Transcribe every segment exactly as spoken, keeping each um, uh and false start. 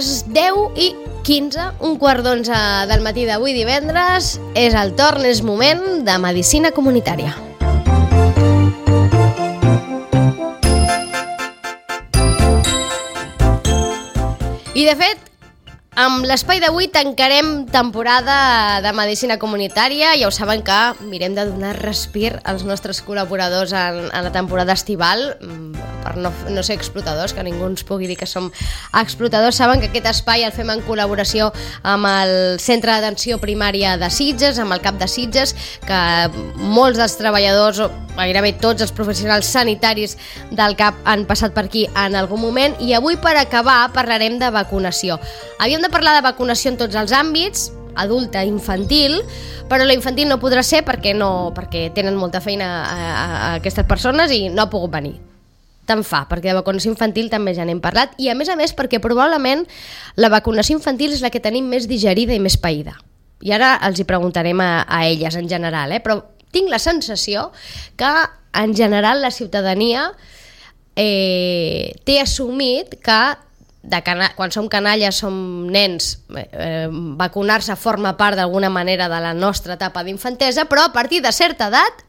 les deu i quinze, un quart d'onze del matí d'avui divendres. És el torn, és moment de Medicina Comunitària. I de fet, amb l'espai d'avui tancarem temporada de Medicina Comunitària. Ja ho saben que mirem de donar respir als nostres col·laboradors en, en la temporada estival, per no, no ser explotadors, que ningú ens pugui dir que som explotadors. Saben que aquest espai el fem en col·laboració amb el Centre d'Atenció Primària de Sitges, amb el CAP de Sitges, que molts dels treballadors, o gairebé tots els professionals sanitaris del CAP han passat per aquí en algun moment. I avui, per acabar, parlarem de vacunació. Havíem de parlar de vacunació en tots els àmbits, adulta, infantil, però la infantil no podrà ser perquè, no, perquè tenen molta feina a, a, a aquestes persones i no ha pogut venir. Tant fa, perquè de vacunació infantil també ja n'hem parlat, i a més a més perquè probablement la vacunació infantil és la que tenim més digerida i més païda. I ara els hi preguntarem a, a elles en general, eh? Però tinc la sensació que en general la ciutadania eh, té assumit que de cana- quan som canalles, som nens, eh, vacunar-se forma part d'alguna manera de la nostra etapa d'infantesa, però a partir de certa edat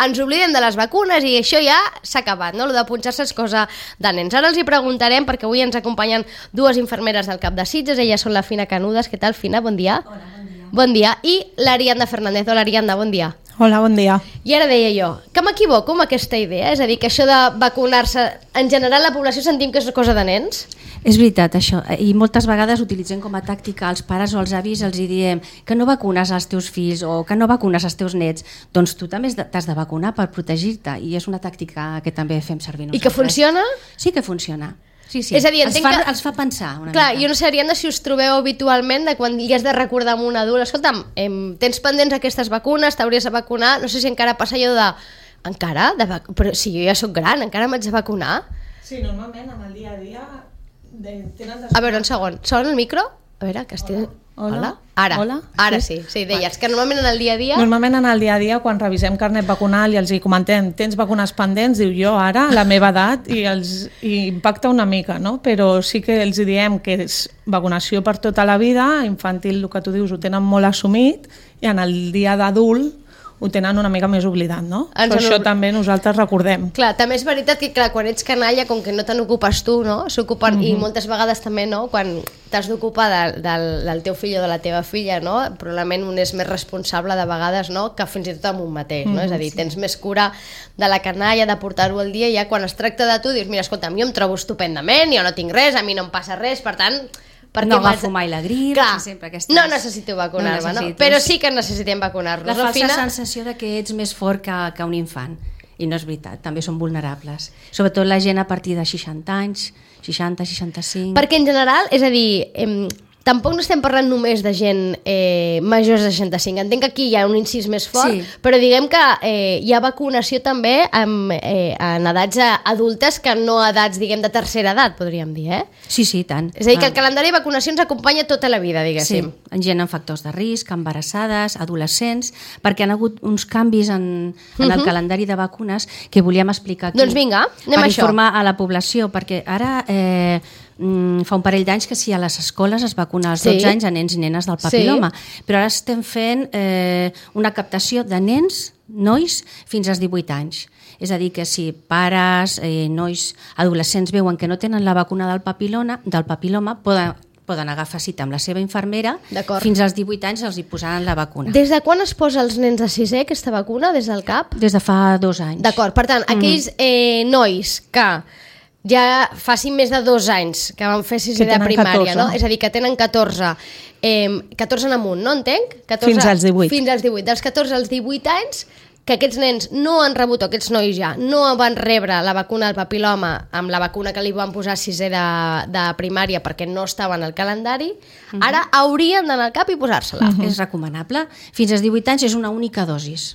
ens oblidem de les vacunes i això ja s'ha acabat, no? Lo de punxar-se és cosa de nens. Ara els hi preguntarem, perquè avui ens acompanyen dues infermeres del CAP de Sitges. Elles són la Fina Canudas. Què tal, Fina? Bon dia. Hola, bon dia. Bon dia. I l'Ariadna Fernández. Hola, Ariadna, bon dia. Hola, bon dia. I ara deia jo, que m'equivoco amb aquesta idea? És a dir, que això de vacunar-se, en general la població sentim que és cosa de nens? És veritat, això. I moltes vegades utilitzem com a tàctica als pares o als avis, els hi diem que no vacunes els teus fills o que no vacunes els teus nets. Doncs tu també t'has de vacunar per protegir-te, i és una tàctica que també fem servir nosaltres. I que funciona? Sí que funciona. Sí, sí. És a dir, els, fa, que... els fa pensar una Clar, mica. jo no sé, Ariadna, si us trobeu habitualment de quan li has de recordar a un adult, escolta'm, em, tens pendents aquestes vacunes, t'hauries de vacunar, no sé si encara passa allò de... Encara? De vac... Però si jo ja sóc gran, encara m'haig de vacunar? Sí, normalment en el dia a dia de... tenen... A veure, un segon, sona el micro? A veure, que estic... Hola. Hola? Ara, Hola? ara sí, sí, deies que normalment en el dia a dia... Normalment en el dia a dia, quan revisem carnet vacunal i els hi comentem tens vacunes pendents, diu jo ara, a la meva edat, i els i impacta una mica, no? Però sí que els hi diem que és vacunació per tota la vida, infantil, el que tu dius, ho tenen molt assumit, i en el dia d'adult ho tenen una mica més oblidat, no? Ens Per han això ob- també nosaltres recordem. Clar, també és veritat que clar, quan ets canalla, com que no te n'ocupes tu, no? S'ocupen, mm-hmm. I moltes vegades també, no? Quan t'has d'ocupar de, del, del teu fill o de la teva filla, no? Probablement un és més responsable de vegades, no? Que fins i tot amb un mateix, no? Mm-hmm, és a dir, tens més cura de la canalla, de portar-ho al dia, i ja quan es tracta de tu dius, mira, escolta'm, jo em trobo estupendament, jo no tinc res, a mi no em passa res, per tant... No agafo mai la grip, clar, sempre aquestes... no necessito vacunar-me, no, no? Però sí que necessitem vacunar-nos. La falsa Fina... sensació de que ets més fort que, que un infant, i no és veritat, també són vulnerables, sobretot la gent a partir de seixanta anys, seixanta, seixanta-cinc... Perquè en general, és a dir, eh, tampoc no estem parlant només de gent eh, majors de seixanta-cinc. Entenc que aquí hi ha un incís més fort, sí. Però diguem que eh, hi ha vacunació també amb, eh, en edats adultes que no edats, diguem, de tercera edat, podríem dir, eh? Sí, sí, tant. És a dir, que el calendari de vacunació ens acompanya tota la vida, diguéssim. Sí, en gent amb factors de risc, embarassades, adolescents, perquè han hagut uns canvis en, en el uh-huh. calendari de vacunes que volíem explicar aquí. Doncs vinga, anem per a això. Per informar a la població, perquè ara... Eh, fa un parell d'anys que sí, a les escoles es vacuna als dotze sí. anys a nens i nenes del papiloma, sí. Però ara estem fent eh, una captació de nens, nois, fins als divuit anys. És a dir, que si pares, eh, nois, adolescents veuen que no tenen la vacuna del papiloma, del papiloma poden, poden agafar cita amb la seva infermera, fins als divuit anys els hi posaran la vacuna. Des de quan es posa als nens de sisè aquesta vacuna, des del CAP? Des de fa dos anys. D'acord, per tant, aquells eh, nois que ja facin més de dos anys que van fer sisè de primària, no? És a dir, que tenen catorze, eh, catorze en amunt, no entenc? catorze, fins als divuit. Fins als divuit. Dels catorze als divuit anys, que aquests nens no han rebut, o aquests nois ja, no van rebre la vacuna del papiloma amb la vacuna que li van posar a sisè de, de primària perquè no estava en el calendari, uh-huh. Ara haurien d'anar al CAP i posar-se-la. Uh-huh. És recomanable. Fins als divuit anys és una única dosis.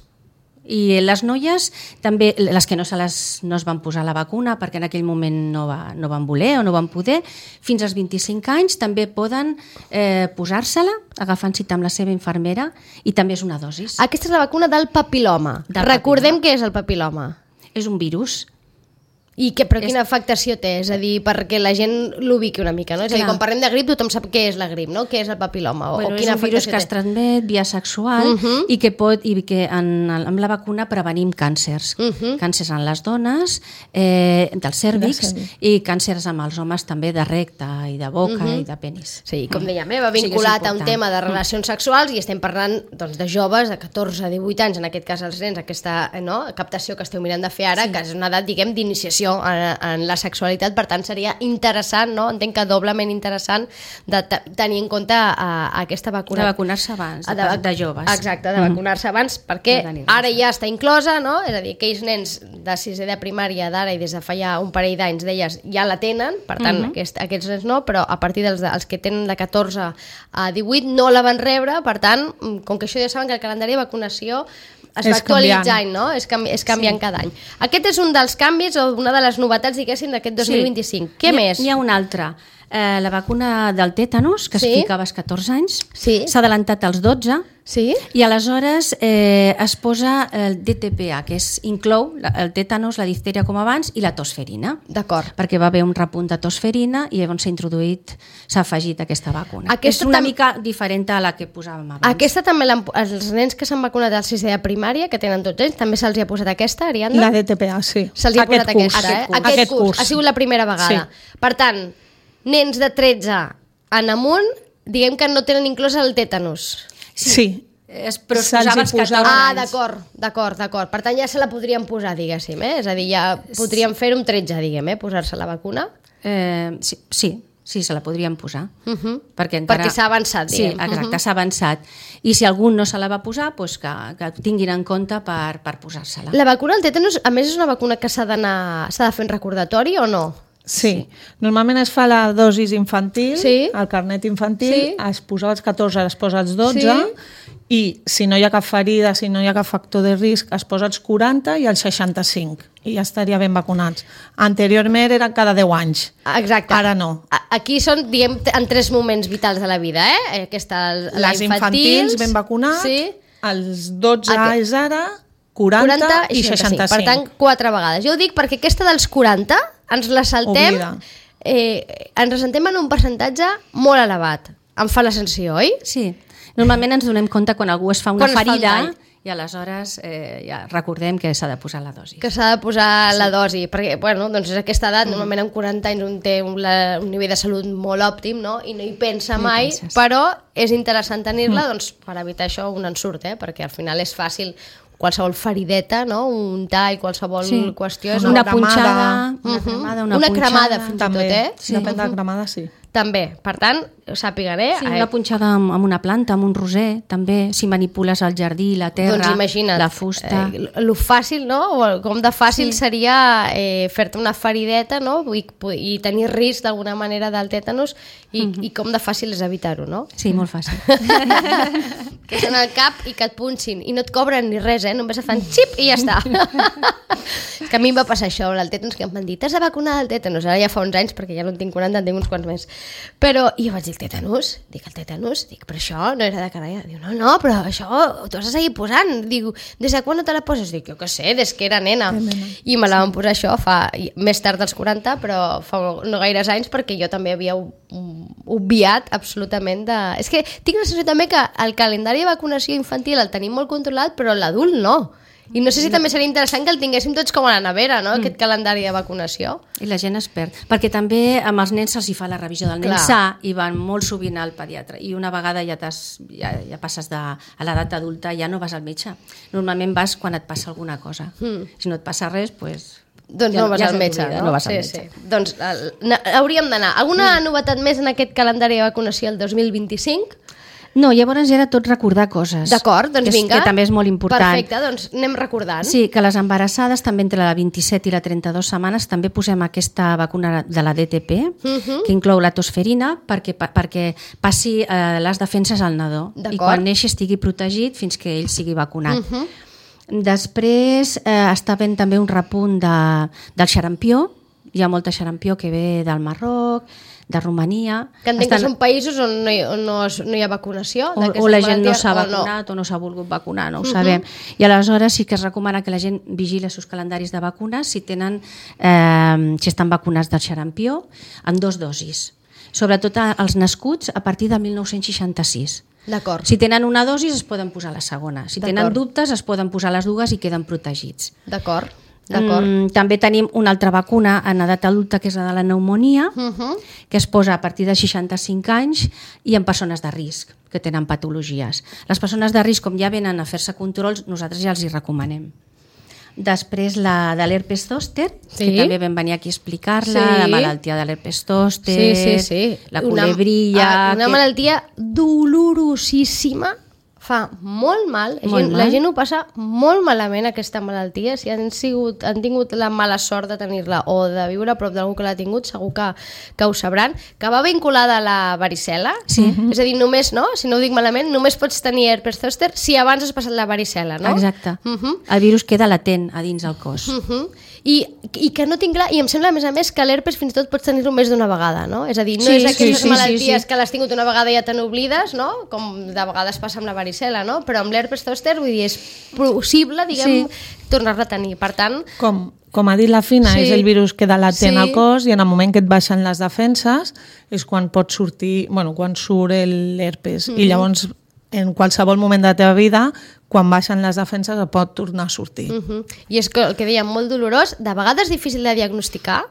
I les noies, també les que no, se les, no es van posar la vacuna perquè en aquell moment no, va, no van voler o no van poder, fins als vint-i-cinc anys també poden eh, posar-se-la agafant cita amb la seva infermera, i també és una dosis. Aquesta és la vacuna del papiloma. Del Recordem papiloma. Què és el papiloma. És un virus. I que, però quina afectació té? És a dir, perquè la gent l'ubiqui una mica, no? És a dir, quan parlem de grip, tothom sap què és la grip, no? Què és el papiloma? O, bueno, o quina és un virus afectació que es transmet via sexual uh -huh. i que pot, i que en, amb la vacuna prevenim càncers. Uh -huh. Càncers en les dones, eh, del cèrvix, i càncers amb els homes també de recte i de boca uh -huh. i de penis. Sí, com dèiem, eh, va vinculat a un tema de relacions sexuals i estem parlant doncs, de joves de catorze a divuit anys, en aquest cas els nens, aquesta no, captació que esteu mirant de fer ara, sí. que és una edat, diguem, d'iniciació en, en la sexualitat, per tant seria interessant, no? Entenc que doblement interessant de tenir en compte a, a aquesta vacuna. De vacunar-se abans, de, de, de joves. Exacte, de vacunar-se abans, perquè no ara ja està inclosa, no? És a dir, aquells nens de sisè de primària d'ara i des de fa ja un parell d'anys d'elles ja la tenen, per tant, uh -huh. aquest, aquests nens no, però a partir dels, dels que tenen de catorze a divuit no la van rebre, per tant, com que això ja saben que el calendari de vacunació es va actualitzant, no? És, canvi, és canviant sí. cada any. Aquest és un dels canvis o una de les novetats, diguéssim, d'aquest dos mil vint-i-cinc. Sí. Què hi, més? N'hi ha una altra. Eh, la vacuna del tètanus, que sí. es ficava als catorze anys, sí. s'ha adelantat als dotze, sí. i aleshores eh, es posa el D T P A, que és, inclou el tètanus, la diftèria com abans, i la tosferina. D'acord. Perquè va haver un repunt de tosferina i llavors s'ha introduït, s'ha afegit aquesta vacuna. Aquesta és una tam... mica diferent a la que posàvem abans. Aquesta també, els nens que s'han vacunat al sisè de primària, que tenen dotze anys, també se'ls ha posat aquesta, Ariadna? La D T P A, sí. Se'ls ha posat curs. aquesta, eh? Aquest, curs. Aquest, Aquest curs. curs. Ha sigut la primera vegada. Sí. Per tant, nens de tretze en amunt, diguem que no tenen inclòs el tètanus. Sí. sí. Es, però es posava als catorze Ah, anys. d'acord, d'acord, d'acord. Per tant, ja se la podrien posar, diguéssim, eh? És a dir, ja podríem fer-ho amb tretze, diguem, eh? Posar-se la vacuna. Eh, sí, sí, sí, se la podríem posar. Uh -huh. Perquè, encara... perquè s'ha avançat, diguem. Sí, exacte, uh -huh. s'ha avançat. I si algú no se la va posar, doncs que, que tinguin en compte per, per posar-se-la. La vacuna al tètanus, a més, és una vacuna que s'ha d'anar, s'ha de fer en recordatori o no? Sí. sí, normalment es fa la dosis infantil, sí. el carnet infantil, sí. es posa als catorze, es posa als dotze, sí. i si no hi ha cap ferida, si no hi ha cap factor de risc, es posa als quaranta i als seixanta-cinc, i ja estaria ben vacunats. Anteriorment era cada deu anys. Exacte. Ara no. Aquí són, diguem, en tres moments vitals de la vida, eh? Aquesta, la Les infantils ben vacunats, sí. els dotze Aquest. és ara, quaranta, quaranta i seixanta-cinc. Per tant, quatre vegades. Jo ho dic perquè aquesta dels quaranta ens la saltem, eh, ens la saltem en un percentatge molt elevat. Em fa la sensació, oi? Sí. Normalment ens donem compte quan algú es fa una quan ferida i aleshores eh, ja recordem que s'ha de posar la dosi. Que s'ha de posar sí. la dosi, perquè bueno, doncs és aquesta edat, mm. normalment amb quaranta anys un té un, la, un nivell de salut molt òptim, no? I no hi pensa no mai, hi però és interessant tenir-la mm. doncs, per evitar això un ensurt, eh? Perquè al final és fàcil qualsevol ferideta, no? Un tall, qualsevol sí. qüestió. És una, una punxada, una cremada, una, una punxada. cremada fins també. i tot, eh? Sí. Depèn de la cremada, sí. També, per tant, sàpiguen, eh? Sí, una punxada amb, amb una planta, amb un roser, també, si manipules el jardí, la terra, doncs imagina't, la fusta... Eh, lo fàcil, no? O com de fàcil sí. seria eh, fer-te una ferideta, no? I, i tenir risc d'alguna manera del tètanus i, mm -hmm. i com de fàcil és evitar-ho, no? Sí, molt fàcil. Que és en el cap i que et punxin i no et cobren ni res, eh? Només et fan xip i ja està. És que a mi em va passar això, el tètanus, que em van dir, t'has de vacunar del tètanus, ara ja fa uns anys, perquè ja no en tinc quaranta, en tinc uns quants més. Però, i jo vaig dir, el tètanus? Dic, el tètanus? Dic, però això no era de canalla. Diu, no, no, però això t'ho has de seguir posant. Diu, des de quan no te la poses? Dic, jo què sé, des que era nena. I me la van posar això fa, més tard dels quaranta, però fa no gaires anys, perquè jo també havia obviat absolutament de... És que tinc la sensació també que el calendari de vacunació infantil el tenim molt controlat, però l'adult no. I no sé si no. també seria interessant que el tinguéssim tots com a la nevera, no? Mm. Aquest calendari de vacunació. I la gent es perd. Perquè també amb els nens se'ls hi fa la revisió del nen sa i van molt sovint al pediatre. I una vegada ja, ja, ja passes de, a l'edat adulta, ja no vas al metge. Normalment vas quan et passa alguna cosa. Mm. Si no et passa res, doncs... Doncs ja, no vas ja al metge, no? no vas sí, al metge. Sí. Doncs el, hauríem d'anar. Alguna mm. novetat més en aquest calendari de vacunació el dos mil vint-i-cinc? No, llavors era tot recordar coses. D'acord, doncs que, vinga. Que també és molt important. Perfecte, doncs anem recordant. Sí, que les embarassades també entre la vint-i-set i la trenta-dues setmanes també posem aquesta vacuna de la D T P, uh -huh. que inclou la tosferina perquè, perquè passi eh, les defenses al nadó i quan neixi estigui protegit fins que ell sigui vacunat. Uh -huh. Després eh, està havent també un repunt de, del xarampió, hi ha molta xarampió que ve del Marroc, de Romania... Que entenc Estan... que són països on no hi, on no, no hi ha vacunació. O, o la gent no s'ha vacunat o no, o no s'ha volgut vacunar, no ho uh-huh. sabem. I aleshores sí que es recomana que la gent vigili els seus calendaris de vacunes si tenen, eh, si estan vacunats del xarampió en dos dosis. Sobretot els nascuts a partir de mil nou-cents seixanta-sis. D'acord. Si tenen una dosi es poden posar la segona. Si tenen dubtes es poden posar les dues i queden protegits. D'acord. Mm, també tenim una altra vacuna en edat adulta que és la de la pneumonia, uh-huh. que es posa a partir de seixanta-cinc anys i en persones de risc que tenen patologies. Les persones de risc, com ja venen a fer-se controls, nosaltres ja els hi recomanem. Després la de l'herpes zòster, sí. que també vam venir aquí a explicar-la, sí. la malaltia de l'herpes zòster, sí, sí, sí. la culebrilla... Una, una que... malaltia dolorosíssima, fa molt mal, la, molt gent, mal. La gent ho passa molt malament aquesta malaltia, si han, sigut, han tingut la mala sort de tenir-la o de viure a prop d'algú que l'ha tingut, segur que, que ho sabran, que va vinculada a la varicel·la, sí. és a dir, només, no? Si no ho dic malament, només pots tenir herpes zòster si abans has passat la varicel·la, no? Exacte. Uh-huh. El virus queda latent a dins el cos. Uh-huh. I, i que no tinc clar, i em sembla a més a més que l'herpes fins i tot pots tenir-ho més d'una vegada, no? És a dir, no sí, és aquelles sí, sí, malalties sí, sí. que l'has tingut una vegada i ja te n'oblides, no? Com de vegades passa amb la varicel·la, no? Però amb l'herpes zòster, vull dir, és possible, diguem, sí. tornar-la a tenir. Per tant... Com, com ha dit la Fina, sí. és el virus que queda latent sí. al cos i en el moment que et baixen les defenses és quan pot sortir, bueno, quan surt l'herpes. Mm-hmm. I llavors, en qualsevol moment de la teva vida, quan baixen les defenses et pot tornar a sortir. Uh-huh. I és que el que dèiem, molt dolorós, de vegades difícil de diagnosticar,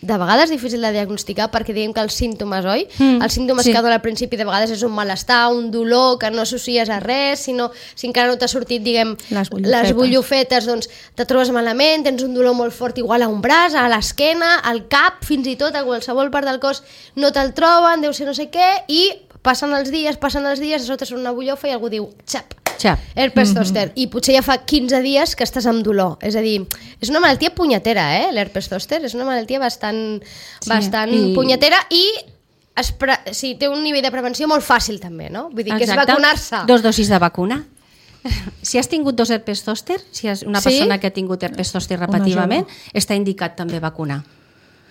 de vegades difícil de diagnosticar perquè diguem que els símptomes, oi? Mm, els símptomes sí. que donen al principi de vegades és un malestar, un dolor que no associes a res, sinó si encara no t'ha sortit, diguem, les bullofetes. les bullofetes, doncs te trobes malament, tens un dolor molt fort igual a un braç, a l'esquena, al cap, fins i tot a qualsevol part del cos no te'l troben, deu ser no sé què, i passen els dies, passen els dies, a sota surt una bullofa i algú diu, xap, Xap. herpes zòster, mm-hmm. i potser ja fa quinze dies que estàs amb dolor. És a dir, és una malaltia punyetera, eh, l'herpes zòster, és una malaltia bastant, sí. bastant I... punyetera i es pre... sí, té un nivell de prevenció molt fàcil també, no? Vull dir, Exacte. que és vacunar-se. Dos dosis de vacuna. Si has tingut dos herpes zòster, si és una sí? persona que ha tingut herpes zòster repetitivament, està indicat també vacunar.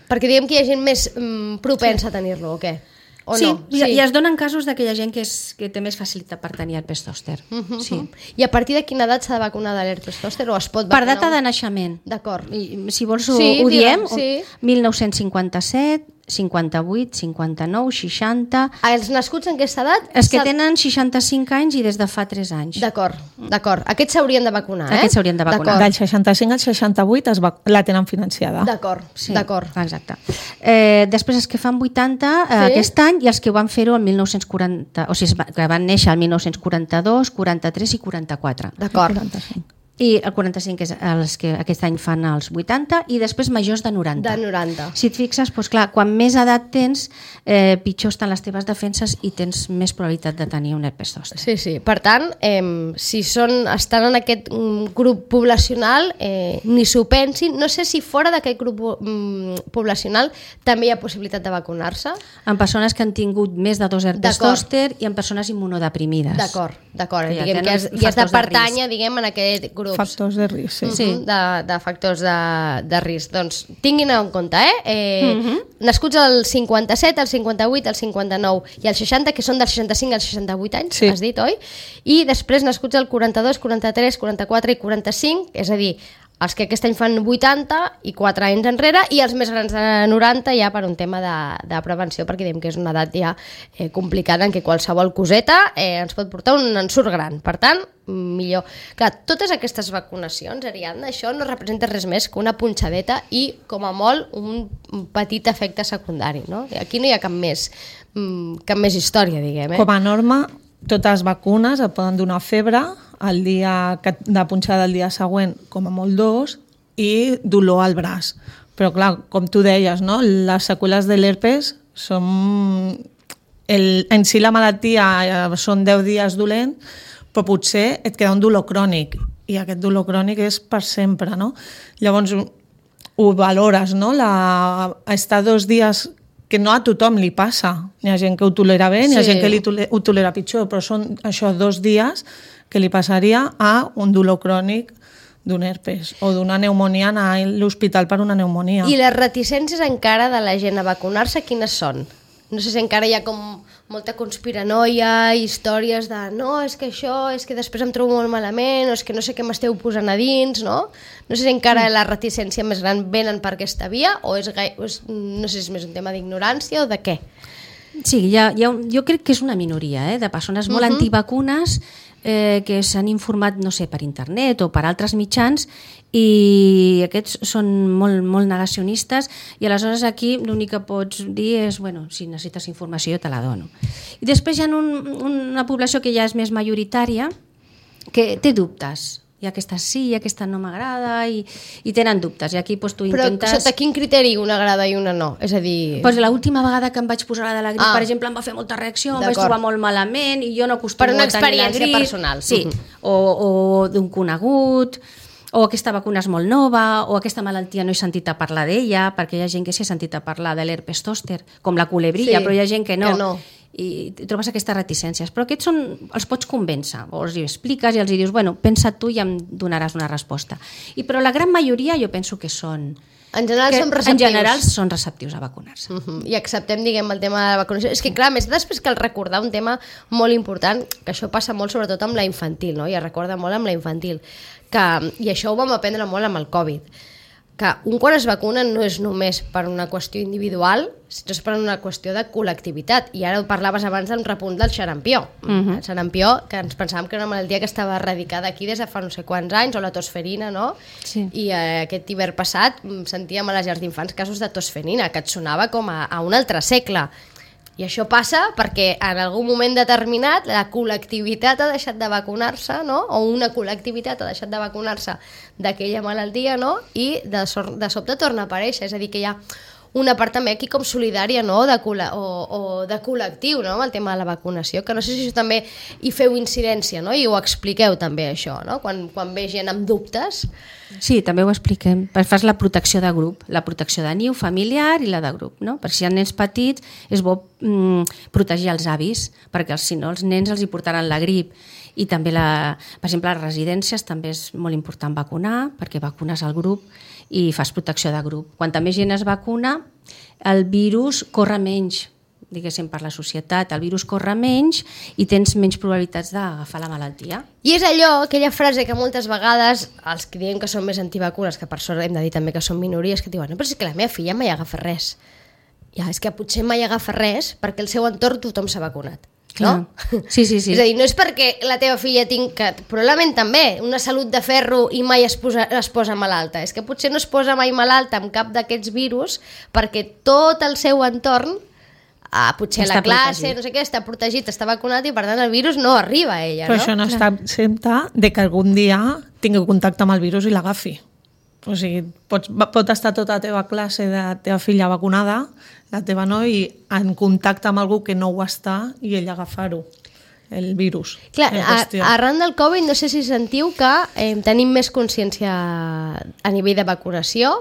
Perquè diguem que hi ha gent més mm, propensa sí. a tenir-lo, o què? O sí, no? sí, i es donen casos d'aquella gent que, és, que té més facilitat per tenir herpes zòster. Uh-huh. Sí. I a partir de quina edat s'ha de vacunar de l'herpes zòster o es pot vacunar? Per data de naixement. D'acord. Si vols ho, sí, ho diem, sí. mil nou-cents cinquanta-set, cinquanta-vuit, cinquanta-nou, seixanta... Els nascuts en aquesta edat? Els que tenen seixanta-cinc anys i des de fa tres anys. D'acord, d'acord. Aquests s'haurien de vacunar, eh? Aquests s'haurien de vacunar. Del seixanta-cinc al seixanta-vuit es va... la tenen financiada. D'acord, sí. d'acord. Exacte. Eh, després els que fan vuitanta eh, sí? aquest any i els que van fer-ho el mil nou-cents quaranta... O sigui, que van néixer el mil nou-cents quaranta-dos, quaranta-tres i quaranta-quatre. D'acord. quaranta-cinc. I el quaranta-cinc és els que aquest any fan els vuitanta i després majors de noranta. De noranta. Si et fixes, doncs clar, quan més edat tens, eh, pitjor estan les teves defenses i tens més probabilitat de tenir un herpes zòster. Sí, sí. Per tant, eh, si són, estan en aquest um, grup poblacional, eh, ni s'ho pensin. No sé si fora d'aquest grup um, poblacional també hi ha possibilitat de vacunar-se. En persones que han tingut més de dos herpes zòster i en persones immunodeprimides. D'acord, d'acord. Ja diguem que has, ja has de pertànyer, diguem, en aquest grup. Factors de risc, sí. sí. De, de factors de, de risc. Doncs tinguin en compte, eh? eh uh-huh. Nascuts al cinquanta-set, al cinquanta-vuit, al cinquanta-nou i al seixanta, que són del seixanta-cinc als seixanta-vuit anys, sí. has dit, oi? I després nascuts al quaranta-dos, quaranta-tres, quaranta-quatre i quaranta-cinc, és a dir, els que aquest any fan vuitanta i quatre anys enrere i els més grans de noranta ja per un tema de, de prevenció, perquè diem que és una edat ja eh, complicada en què qualsevol coseta eh, ens pot portar un ensurt gran. Per tant, millor. Clar, totes aquestes vacunacions, Ariadna, això no representa res més que una punxadeta i, com a molt, un petit efecte secundari, no? Aquí no hi ha cap més, cap més història, diguem. Eh? Com a norma, totes les vacunes et poden donar febre el dia de punxada el dia següent, com a molt dos, i dolor al braç. Però clar, com tu deies, no? Les seqüeles de l'herpes són... El, en si la malaltia són deu dies dolent, però potser et queda un dolor crònic, i aquest dolor crònic és per sempre, no? Llavors ho valores, no? La, estar dos dies que no a tothom li passa. Hi ha gent que ho tolera bé, sí. Hi ha gent que li tole, ho tolera pitjor, però són això dos dies que li passaria a un dolor crònic d'un herpes o d'una pneumonia, anar a l'hospital per una pneumonia. I les reticències encara de la gent a vacunar-se, quines són? No sé si encara hi ha com molta conspiranoia, històries de no, és que això, és que després em trobo molt malament, o és que no sé què m'esteu posant a dins, no? No sé si encara la reticència més gran venen per aquesta via o és, gai... o és no sé si és més un tema d'ignorància o de què? Sí, hi ha, hi ha, jo crec que és una minoria eh, de persones molt uh-huh. antivacunes eh, que s'han informat, no sé, per internet o per altres mitjans i aquests són molt, molt negacionistes i aleshores aquí l'únic que pots dir és, bueno, si necessites informació jo te la dono. I després hi ha un, una població que ja és més majoritària que té dubtes. I aquesta sí, i aquesta no m'agrada, i, i tenen dubtes. I aquí doncs, tu intentes... Però sota quin criteri una agrada i una no? És a dir... Pues l'última vegada que em vaig posar la de la grip, ah. per exemple, em va fer molta reacció, em vaig trobar molt malament, i jo no acostumo per una a tenir la grip. experiència personal. Sí, uh-huh. o, o d'un conegut, o aquesta vacuna és molt nova, o aquesta malaltia no he sentit a parlar d'ella, perquè hi ha gent que s'hi ha sentit a parlar de l'herpes zòster, com la culebrilla, sí, però hi ha gent que no. Que no. I trobes aquestes reticències, però aquests són, els pots convèncer, o els expliques i els dius, bueno, pensa tu i em donaràs una resposta. I però la gran majoria jo penso que són... En general que, són receptius. En general són receptius a vacunar-se. Uh-huh. I acceptem, diguem, el tema de la vacunació. És que, clar, més després cal recordar un tema molt important, que això passa molt sobretot amb la infantil, no? I es recorda molt amb la infantil. Que, i això ho vam aprendre molt amb el Covid, que un quan es vacuna no és només per una qüestió individual, sinó és per una qüestió de col·lectivitat. I ara ho parlaves abans d'un repunt del xarampió. Uh-huh. El xarampió, que ens pensàvem que era una malaltia que estava erradicada aquí des de fa no sé quants anys, o la tosferina, no? Sí. I eh, aquest hivern passat sentíem a les llars d'infants casos de tosferina, que et sonava com a, a un altre segle. I això passa perquè en algun moment determinat la col·lectivitat ha deixat de vacunar-se, no? O una col·lectivitat ha deixat de vacunar-se d'aquella malaltia, no? I de, so de sobte torna a aparèixer. És a dir, que hi ha una part també aquí com solidària, no? de o, o de col·lectiu, no? Amb el tema de la vacunació, que no sé si això també hi feu incidència, no? I ho expliqueu també això, no? Quan, quan ve gent amb dubtes. Sí, també ho expliquem. Fas la protecció de grup, la protecció de niu familiar i la de grup, no? Perquè si hi ha nens petits és bo mm, protegir els avis, perquè si no els nens els hi portaran la grip. I també, la, per exemple, a les residències també és molt important vacunar, perquè vacunes el grup i fas protecció de grup. Quanta més gent es vacuna, el virus corre menys, diguéssim, per la societat. El virus corre menys i tens menys probabilitats d'agafar la malaltia. I és allò, aquella frase que moltes vegades els que diem que són més antivacunes, que per sort hem de dir també que són minories, que diuen, no, però és que la meva filla mai agafa res. Ja, és que potser mai agafa res perquè el seu entorn tothom s'ha vacunat. No? Sí, sí, sí. És a dir, no és perquè la teva filla tingui, que probablement també, una salut de ferro i mai es posa, es posa malalta. És que potser no es posa mai malalta amb cap d'aquests virus perquè tot el seu entorn, ah, potser està la classe, protegit. No sé què, està protegit, està vacunat i per tant el virus no arriba a ella. Però no? això no està exempta de que algun dia tingui contacte amb el virus i l'agafi. O sigui, pots, pot estar tota la teva classe de la teva filla vacunada, la teva no, i en contacte amb algú que no ho està i ell agafar-ho, el virus. Clar, a, arran del Covid no sé si sentiu que eh, tenim més consciència a nivell de vacunació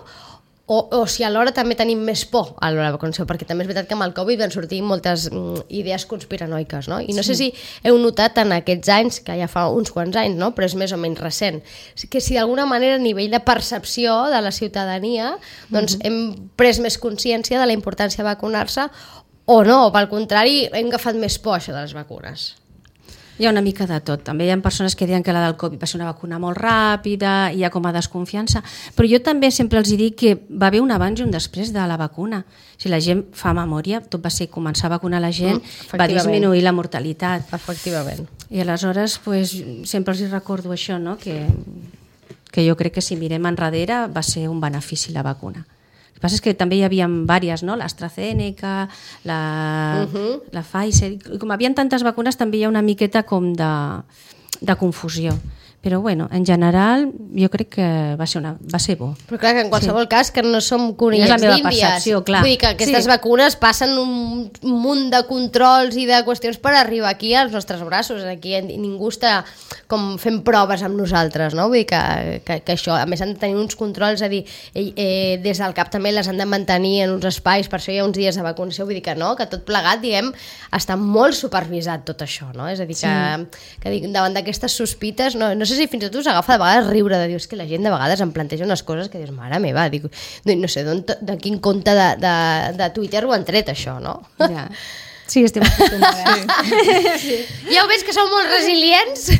o, o si alhora també tenim més por a l'hora de vacunació, perquè també és veritat que amb el Covid van sortir moltes mm, idees conspiranoiques, no? I no sí. sé si heu notat en aquests anys, que ja fa uns quants anys, no? Però és més o menys recent, que si d'alguna manera a nivell de percepció de la ciutadania doncs mm-hmm. hem pres més consciència de la importància de vacunar-se o no, o pel contrari hem agafat més por això de les vacunes. Hi ha una mica de tot. També hi ha persones que diuen que la del Covid va ser una vacuna molt ràpida, hi ha com a desconfiança, però jo també sempre els dic que va haver un abans i un després de la vacuna. Si la gent fa memòria, tot va ser començar a vacunar la gent, mm, va disminuir la mortalitat. Efectivament. I aleshores pues, sempre els recordo això, no? que, que jo crec que si mirem enrere va ser un benefici la vacuna. El que passa és que també hi havia diverses, no? l'AstraZeneca, la, uh-huh. la Pfizer, i com hi havia tantes vacunes també hi ha una miqueta com de, de confusió. Però bueno, en general jo crec que va ser, una, va ser bo. Però clar, que en qualsevol sí. cas que no som conillets d'Índies. Vull dir que aquestes sí. vacunes passen un munt de controls i de qüestions per arribar aquí als nostres braços. Aquí ningú està com fent proves amb nosaltres, no? Vull dir que, que, que això, a més han de tenir uns controls, a dir, eh, des del cap també les han de mantenir en uns espais, per això hi ha uns dies de vacunació, vull dir que no, que tot plegat, diguem, està molt supervisat tot això, no? És a dir, que, sí. que davant d'aquestes sospites, no, no sé sé si fins i tot us agafa de vegades riure, de dir, és que la gent de vegades em planteja unes coses que dius, mare meva, dic, no sé de quin compte de, de, de Twitter ho han tret, això, no? Ja. Sí, estem acostumats. Sí. Sí. Ja ho veig que sou molt resilients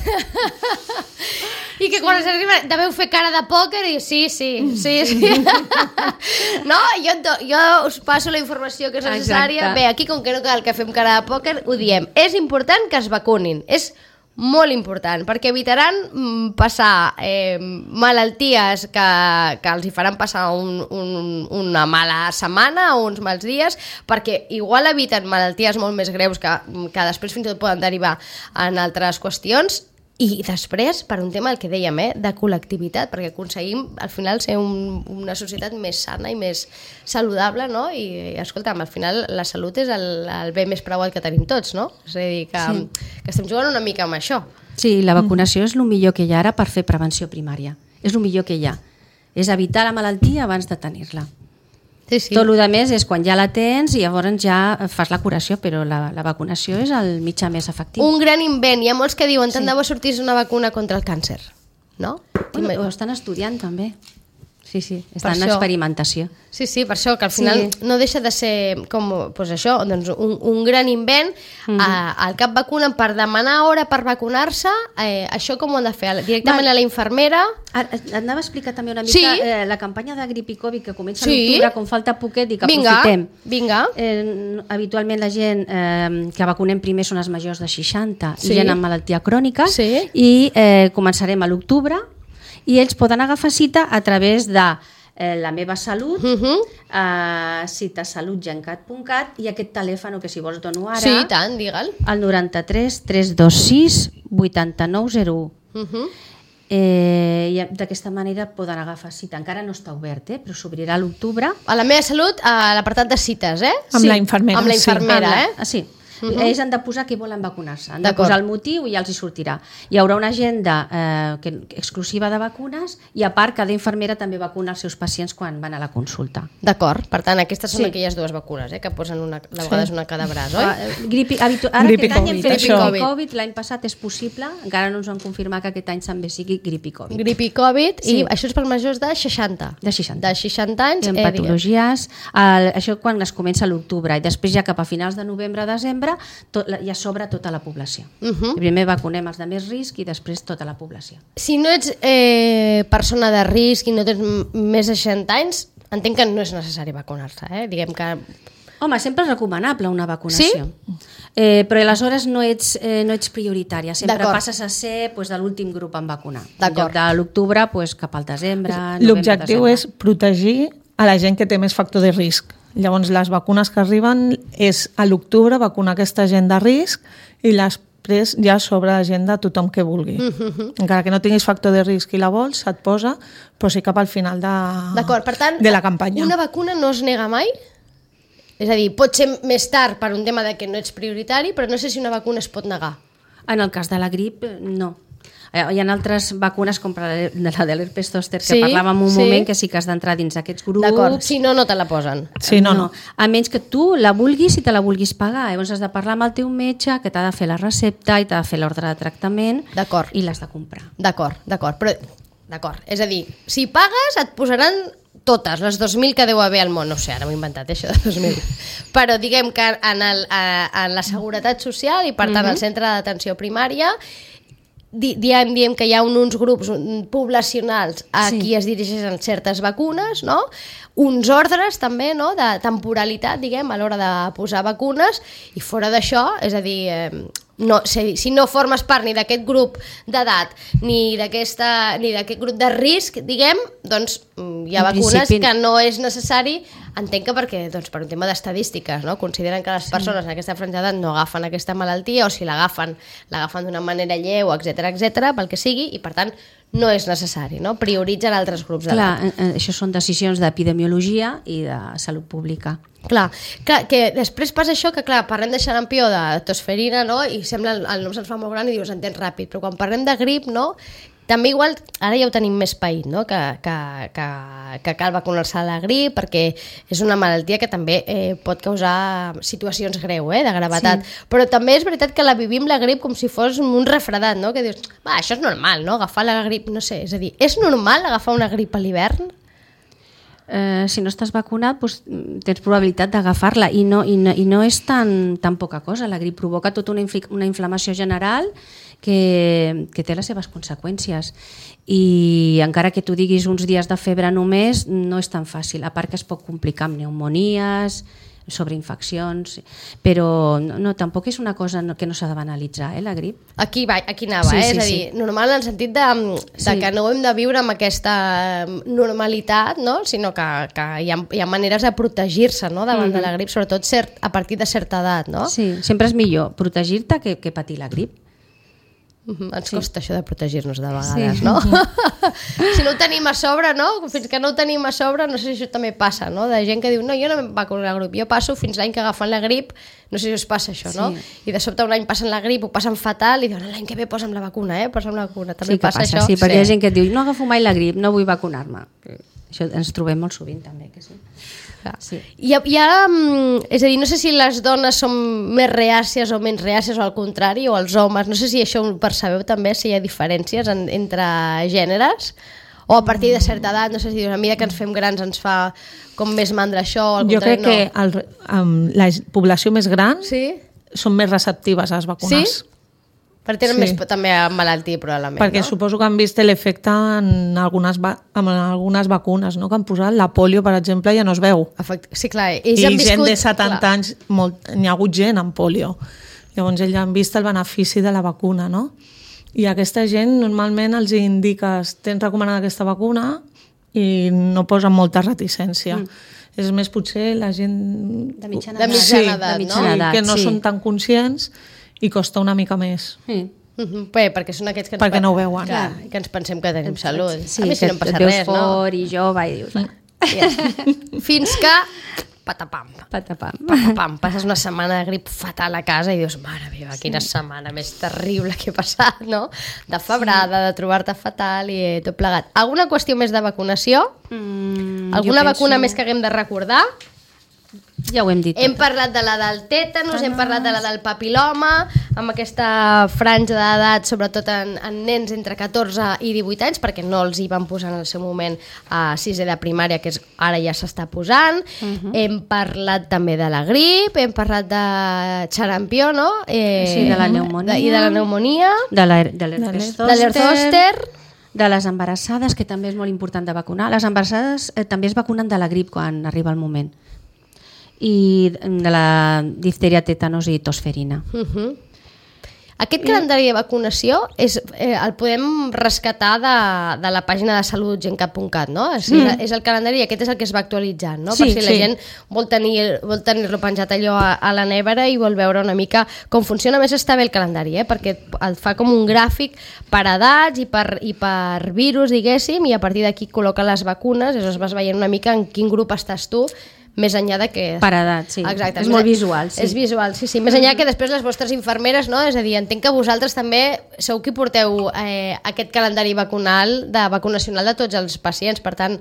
i que quan s'arriba deveu fer cara de pòquer i sí, sí, sí, sí. No, jo, jo us passo la informació que és necessària. Exacte. Bé, aquí com que no cal que fem cara de pòquer, ho diem. És important que es vacunin. És molt important, perquè evitaran mm, passar eh, malalties que, que els hi faran passar un, un, una mala setmana o uns mals dies, perquè igual eviten malalties molt més greus que, que després fins i tot poden derivar en altres qüestions. I després, per un tema, el que dèiem, eh, de col·lectivitat, perquè aconseguim al final ser un, una societat més sana i més saludable, no? I, escolta'm, al final la salut és el, el bé més preuat que tenim tots, no? És a dir, que, sí. que estem jugant una mica amb això. Sí, la vacunació mm. és el millor que hi ha ara per fer prevenció primària. És el millor que hi ha. És evitar la malaltia abans de tenir-la. Sí, sí. Tot el que més és quan ja la tens i llavors ja fas la curació, però la, la vacunació és el mitjà més efectiu. Un gran invent. Hi ha molts que diuen tant sí. de bo sortís una vacuna contra el càncer, no? Bueno, ho estan estudiant també. Sí, sí, estan en experimentació. Sí, sí, per això, que al final sí. no deixa de ser com, doncs això, doncs un, un gran invent. Mm-hmm. eh, al cap vacunen per demanar hora per vacunar-se, eh, això com ho han de fer? Directament Va. a la infermera? Anava a explicar també una mica sí. eh, la campanya de grip i Covid que comença sí. a l'octubre, com falta poquet i que vinga, aprofitem. Vinga. Eh, habitualment la gent eh, que vacunem primer són els majors de seixanta sí. i gent amb malaltia crònica sí. i eh, començarem a l'octubre i ells poden agafar cita a través de eh, La meva salut, uh-huh. eh, citasalutgencat punt cat i aquest telèfon que si vols dono ara, sí, tant, digue'l. el noranta-tres tres dos sis vuitanta-nou zero u. Uh-huh. Eh, i d'aquesta manera poden agafar cita. Encara no està obert, eh, però s'obrirà a l'octubre. A La meva salut, a l'apartat de cites, eh? Amb sí. la infermera. Amb la infermera, sí. eh? Ah, sí. Uh-huh. Ells han de posar que volen vacunar-se, han de posar el motiu i ja els hi sortirà. Hi haurà una agenda eh, que, exclusiva de vacunes i a part cada infermera també vacuna els seus pacients quan van a la consulta. D'acord, per tant aquestes són sí. aquelles dues vacunes eh, que posen una, de vegades sí. una a cada braç, oi? Uh, gripi, habitu- ara gripi aquest any hem fet això. gripi Covid, l'any passat és possible, encara no ens han confirmat que aquest any també sigui gripi Covid. Gripi Covid sí. i això és per majors de seixanta. De seixanta. De seixanta anys. En eh, patologies, el, això quan es comença a l'octubre i després ja cap a finals de novembre-desembre tot, ja s'obre tota la població. Uh-huh. Primer vacunem els de més risc i després tota la població. Si no ets eh, persona de risc i no tens més de seixanta anys, entenc que no és necessari vacunar-se, eh? Diguem que... Home, sempre és recomanable una vacunació. Sí? Eh, però aleshores no ets, eh, no ets prioritària. Sempre passes a ser pues, de l'últim grup en vacunar. En lloc de l'octubre pues, cap al desembre, novembre, l'objectiu és protegir a la gent que té més factor de risc. Llavors, les vacunes que arriben és a l'octubre vacunar aquesta gent de risc i després ja sobre la gent de tothom que vulgui. Uh-huh. Encara que no tinguis factor de risc i la vols, se't posa, però sí cap al final de, per tant, de la campanya. Una vacuna no es nega mai? És a dir, pot ser més tard per un tema de que no ets prioritari, però no sé si una vacuna es pot negar. En el cas de la grip, no. Hi ha altres vacunes com la de l'herpes zòster que sí, parlàvem un sí. moment que sí que has d'entrar dins aquests grups. D'acord, si no, no te la posen. Sí, no, no. no. A menys que tu la vulguis i te la vulguis pagar. Llavors has de parlar amb el teu metge que t'ha de fer la recepta i t'ha de fer l'ordre de tractament i l'has de comprar. D'acord, d'acord. Però, d'acord. És a dir, si pagues et posaran totes, les dos mil que deu haver al món. No sé, ara m'ho he inventat, això de dos mil. Però diguem que en, el, en la Seguretat Social i per tant mm-hmm. al centre d'atenció primària diem, diem que hi ha un, uns grups poblacionals a sí. qui es dirigeixen certes vacunes, no? Uns ordres també, no? De temporalitat, diguem, a l'hora de posar vacunes i fora d'això, és a dir, eh, no, si, si no formes part ni d'aquest grup d'edat ni d'aquest grup de risc, diguem, doncs hi ha en vacunes principi... que no és necessari, entenc que perquè doncs, per un tema d'estadístiques, no? Consideren que les persones sí. en aquesta franja d'edat no agafen aquesta malaltia o si l'agafen, l'agafen d'una manera lleu, etcètera, etcètera, pel que sigui, i per tant no és necessari, no? Prioritzen altres grups d'edat. Clar, això són decisions d'epidemiologia i de salut pública. Clar, clar, que després passa això que clar, parlem de xarampió, de tosferina, no? I sembla el, el nom se'ns fa molt gran i dius, entens ràpid, però quan parlem de grip, no? també igual, ara ja ho tenim més paït, no? que, que, que, que cal vacunar-se a la grip, perquè és una malaltia que també eh, pot causar situacions greu, eh, de gravetat. Sí. Però també és veritat que la vivim la grip com si fos un refredat, no? Que dius, va, això és normal, no? Agafar la grip, no sé, és a dir, és normal agafar una grip a l'hivern? Eh, si no estàs vacunat, doncs, tens probabilitat d'agafar-la i, no, i, no, i no és tan, tan poca cosa. La grip provoca tota una, infl una inflamació general que, que té les seves conseqüències i encara que tu diguis uns dies de febre només, no és tan fàcil, a part que es pot complicar amb pneumonies, sobreinfeccions, però no, no, tampoc és una cosa que no s'ha de banalitzar, eh, la grip. Aquí, va, aquí anava, sí, eh? Sí, és a dir, sí. Normal en el sentit de, de sí. que no hem de viure amb aquesta normalitat, no? Sinó que, que hi, ha, hi ha maneres de protegir-se, no? Davant mm-hmm. de la grip, sobretot cert, a partir de certa edat, no? Sí, sempre és millor protegir-te que, que patir la grip. Mm-hmm. Ens sí. costa això de protegir-nos de vegades, sí. no? Si no ho tenim a sobre, no? Fins que no ho tenim a sobre, no sé si això també passa, no? De gent que diu, no, jo no em vacuno la grip, jo passo fins l'any que agafen la grip, no sé si us passa això, no? Sí. I de sobte un any passen la grip, ho passen fatal i diuen, l'any que ve posa'm la vacuna, eh? Posa'm la vacuna, també sí passa, passa això. Sí, perquè sí. Hi ha gent que et diu, no agafo mai la grip, no vull vacunar-me. Això ens trobem molt sovint també, que sí. Sí. I, i ara, és a dir, no sé si les dones són més reàcies o menys reàcies o al contrari, o els homes, no sé si això ho percebeu també, si hi ha diferències en, entre gèneres, o a partir de certa edat, no sé si a mesura que ens fem grans ens fa com més mandra això, o al jo contrari, crec no. que el, um, la població més gran sí? són més receptives a les vacunes. Sí? Per tenen sí. més també malaltia, probablement, perquè no? suposo que han vist l'efecte en algunes, va en algunes vacunes, no? Que han posat la polio, per exemple, ja no es veu. Efect... Sí, clar. Ells I han viscut... gent de setanta clar. anys, n'hi ha hagut gent amb polio. Llavors ells han vist el benefici de la vacuna, no? I aquesta gent normalment els indiques tens recomanada aquesta vacuna i no posen molta reticència. Mm. És més potser la gent... De mitjana edat, sí, edat, de mitjana no? edat, que no sí. són tan conscients i costa una mica més. Sí. Uh-huh. Bé, perquè són aquests que ens, perquè no ho veuen. Clar, que ens pensem que tenim salut. Sí, a mi si no em passa res, res, no? fort i jove i dius... Ja. Fins que... Patapam. Patapam. Patapam. Passes una setmana de grip fatal a casa i dius, mare meva, quina sí. setmana més terrible que he passat, no? De febrada, sí. de trobar-te fatal i tot plegat. Alguna qüestió més de vacunació? Mm, Alguna vacuna penso... més que haguem de recordar? Ja ho hem dit. Hem parlat de la del tètanus, hem parlat de la del papiloma, amb aquesta franja d'edat, sobretot en, en nens entre catorze i divuit anys, perquè no els hi van posar en el seu moment a sisè de primària, que és, ara ja s'està posant. Uh-huh. Hem parlat també de la grip, hem parlat de xarampió, no? Eh, sí, de la pneumònia. De, I de la pneumònia. De l'herpes de l'herpes de les embarassades, que també és molt important de vacunar. Les embarassades eh, també es vacunen de la grip quan arriba el moment. I de la difteria, tètanos i tosferina. Uh-huh. Aquest calendari de vacunació és, eh, el podem rescatar de, de la pàgina de salut gencat punt cat, no? És, mm. és el calendari i aquest és el que es va actualitzant, no? Sí, per si sí. la gent vol tenir vol tenir-lo penjat allò a, a la nevera i vol veure una mica com funciona. A més està bé el calendari, eh? Perquè el fa com un gràfic per edats i per, i per virus, diguéssim, i a partir d'aquí col·loca les vacunes, llavors vas veient una mica en quin grup estàs tu, més enllà de que... Per edat, sí. Exacte. És molt visual, sí. És visual, sí, sí. Més enllà que després les vostres infermeres, no? És a dir, entenc que vosaltres també sou qui porteu eh, aquest calendari vacunal, de vacunacional de tots els pacients, per tant,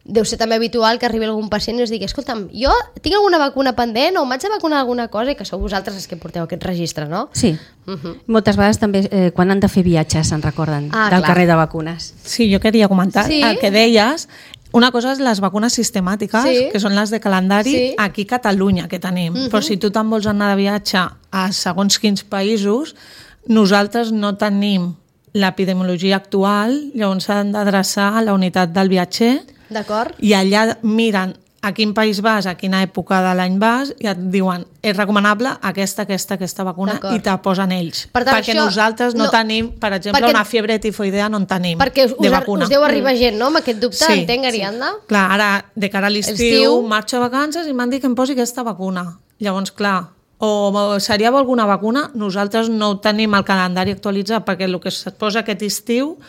deu ser també habitual que arribi algun pacient i us digui, escolta'm, jo tinc alguna vacuna pendent o m'haig de vacunar alguna cosa, i que sou vosaltres els que porteu aquest registre, no? Sí. Uh-huh. Moltes vegades també eh, quan han de fer viatges se'n recorden ah, del clar. carrer de vacunes. Sí, jo queria comentar sí? el que deies. Una cosa és les vacunes sistemàtiques, sí. que són les de calendari, sí. aquí a Catalunya, que tenim. Uh-huh. Però si tu te'n vols anar de viatge a segons quins països, nosaltres no tenim l'epidemiologia actual, llavors s'han d'adreçar a la unitat del viatger. D'acord. I allà miren a quin país vas, a quina època de l'any vas, i et diuen, és recomanable aquesta, aquesta, aquesta vacuna, i te posen ells. Per tant, perquè això, nosaltres no, no tenim, per exemple, perquè, una fiebre tifoidea no en tenim perquè us, de vacuna. Us deu arribar gent, no?, amb aquest dubte, sí, entenc, Ariadna? Sí. Clar, ara, de cara a l'estiu, marxo a vacances i m'han dit que em posi aquesta vacuna. Llavors, clar, o seria alguna vacuna, nosaltres no tenim el calendari actualitzat, perquè el que es posa aquest estiu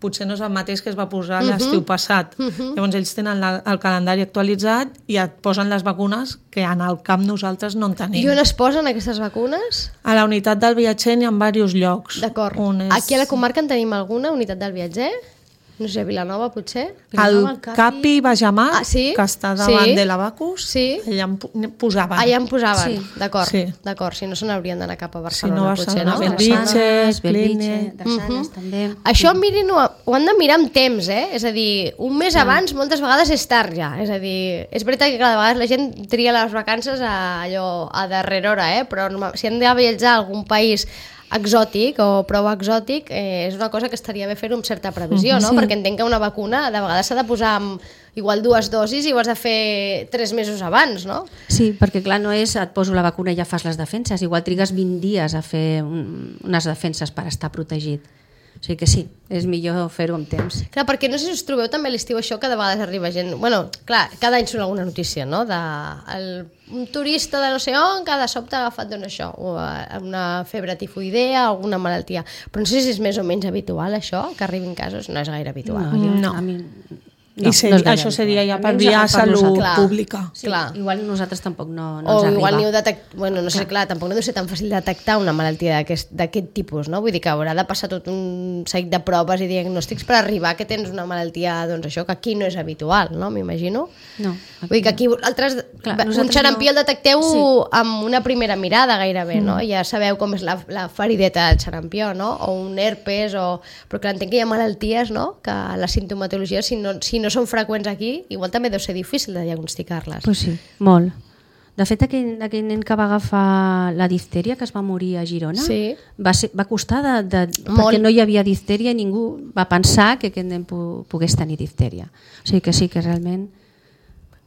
potser no és el mateix que es va posar uh-huh. l'estiu passat. Uh-huh. Llavors ells tenen la, el calendari actualitzat i et posen les vacunes que en el camp nosaltres no en tenim. I on es posen aquestes vacunes? A la unitat del viatger n'hi ha en diversos llocs. D'acord. És... Aquí a la comarca en tenim alguna, unitat del viatger? No sé, Vilanova potser? Vilanova, el Capi, Capi Bajamar, ah, sí? que està davant sí? de l'Abacus, sí? allà em posaven. Allà em posaven, sí. d'acord. Sí. D'acord, si no se n'haurien d'anar cap a Barcelona, si no, potser, no? Belvitge, Belvitge, Drassanes, també. Això, mirin, ho, ho han de mirar amb temps, eh? És a dir, un mes ah. abans moltes vegades és tard ja. És a dir, és veritat que cada vegada la gent tria les vacances a, allò, a darrera hora, eh? Però si han de viatjar a algun país exòtic o prou exòtic, eh, és una cosa que estaria bé fer-ho amb certa previsió, no? Sí. Perquè entenc que una vacuna de vegades s'ha de posar amb igual dues dosis i ho has de fer tres mesos abans, no? Sí, perquè clar, no és et poso la vacuna i ja fas les defenses, igual trigues vint dies a fer un, unes defenses per estar protegit. O sigui que sí, és millor fer-ho amb temps. Clar, perquè no sé si us trobeu també a l'estiu això que de vegades arriba gent... Bueno, clar, cada any surt alguna notícia, no? De el, un turista de no sé on que de sobte ha agafat doncs això, una febre tifoidea, alguna malaltia. Però no sé si és més o menys habitual això, que arribin casos. No és gaire habitual. No, jo, no. A mi... No, I seri, no això seria ja per via salut clar, pública. Sí, clar. Igual nosaltres tampoc no, no o ens arriba. Igual ni detect... bueno, no sé, clar, tampoc no deu ser tan fàcil detectar una malaltia d'aquest tipus, no? Vull dir que haurà de passar tot un seguit de proves i diagnòstics per arribar que tens una malaltia, doncs això, que aquí no és habitual, no? M'imagino. No. Vull dir que aquí altres... Clar, un xarampió no... el detecteu sí. amb una primera mirada gairebé, mm. no? Ja sabeu com és la, la ferideta del xarampió, no? O un herpes, o... però clar, entenc que hi ha malalties, no? Que la sintomatologia, si no, si no són freqüents aquí, igual també deu ser difícil de diagnosticar-les. Pues sí, molt. De fet, aquell, aquell nen que va agafar la diftèria, que es va morir a Girona, sí. va, ser, va costar de, de, perquè no hi havia diftèria i ningú va pensar que aquest nen pogués tenir diftèria. O sigui que sí, que realment...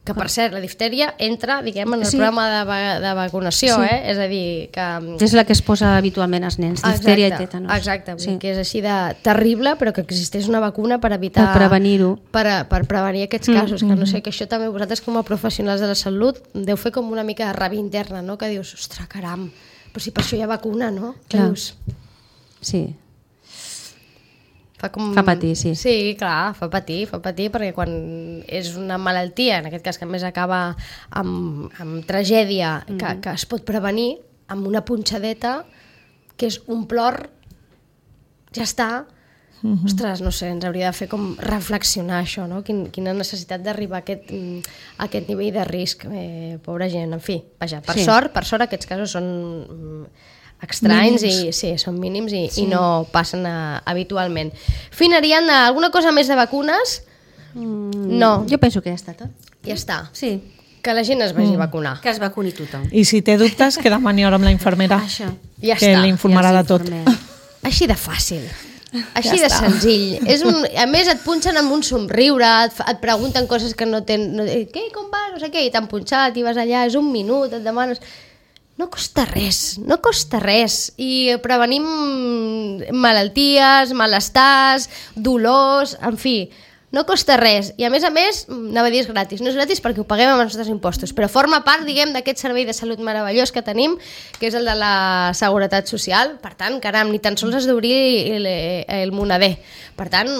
Que, per cert, la diftèria entra, diguem, en el sí. programa de, va de vacunació, sí. eh? És a dir, que... És la que es posa habitualment als nens, diftèria i tètanos. Exacte, sí. Que és així de terrible, però que existeix una vacuna per evitar... Per prevenir-ho. Per, per prevenir aquests casos, mm. que no sé, que això també vosaltres com a professionals de la salut deu fer com una mica de ràbia interna, no? Que dius, ostres, caram, però si per això hi ha vacuna, no? Clar. Dius... Sí. Fa, com... fa patir, sí. Sí, clar, fa patir, fa patir, perquè quan és una malaltia, en aquest cas que a més acaba amb, amb tragèdia, mm-hmm. que, que es pot prevenir amb una punxadeta, que és un plor, ja està. Mm-hmm. Ostres, no sé, ens hauria de fer com reflexionar això, no? Quin, quina necessitat d'arribar a aquest, a aquest nivell de risc. Eh, pobra gent, en fi, vaja, per sí. sort, per sort aquests casos són... estranys mínims. I sí, són mínims i, sí. i no passen a, habitualment. Fina, Ariadna, alguna cosa més de vacunes? Mm, no. Jo penso que ja està tot. Ja està. Sí. Que la gent es vagi mm. a vacunar. Que es vacuni tothom. I si té dubtes, que demani hora amb la infermera. Això. Ja que està. l'informarà de tot. Així de fàcil. Així ja de està. Senzill. És un, a més, et punxen amb un somriure, et, et pregunten coses que no tenen... No, què, com va? No sé què, i t'han punxat, i vas allà, és un minut, et demanes... No costa res, no costa res. I prevenim malalties, malestars, dolors, en fi, no costa res. I a més a més, anava a dir és gratis. No és gratis perquè ho paguem amb els nostres impostos, però forma part, diguem, d'aquest servei de salut meravellós que tenim, que és el de la Seguretat Social. Per tant, caram, ni tan sols has d'obrir el, el monader. Per tant,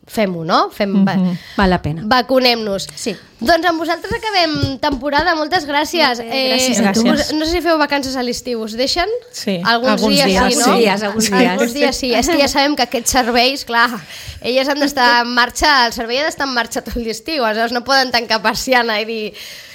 fem-ho, no? Fem, mm-hmm. Val la pena. Vacunem-nos. Sí. Doncs amb vosaltres acabem temporada. Moltes gràcies. Bé, gràcies eh, a tu. Gràcies. No sé si feu vacances a l'estiu. Us deixen? Sí. Alguns, alguns dies, dies, sí, no? Dies, alguns dies. Alguns dies sí. És que ja sabem que aquests serveis, clar, elles han d'estar en marxa, el servei ha d'estar en marxa tot l'estiu, aleshores no poden tancar persiana i dir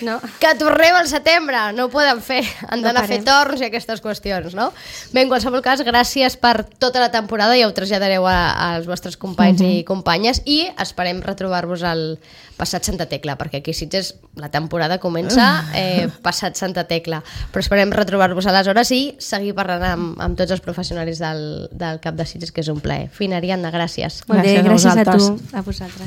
no. que tornem al setembre. No ho poden fer. Han d'anar no a fer torns i aquestes qüestions, no? Bé, en qualsevol cas, gràcies per tota la temporada, ja ho traslladareu a, als vostres companys mm-hmm. i companyes, i esperem retrobar-vos al passat Santa Tecla, perquè aquí a Sitges la temporada comença eh, passat Santa Tecla, però esperem retrobar-vos aleshores i seguir parlant amb, amb tots els professionals del, del Cap de Sitges, que és un plaer. Fina, Ariadna, gràcies. Molt bé, gràcies, gràcies a, a tu, a vosaltres.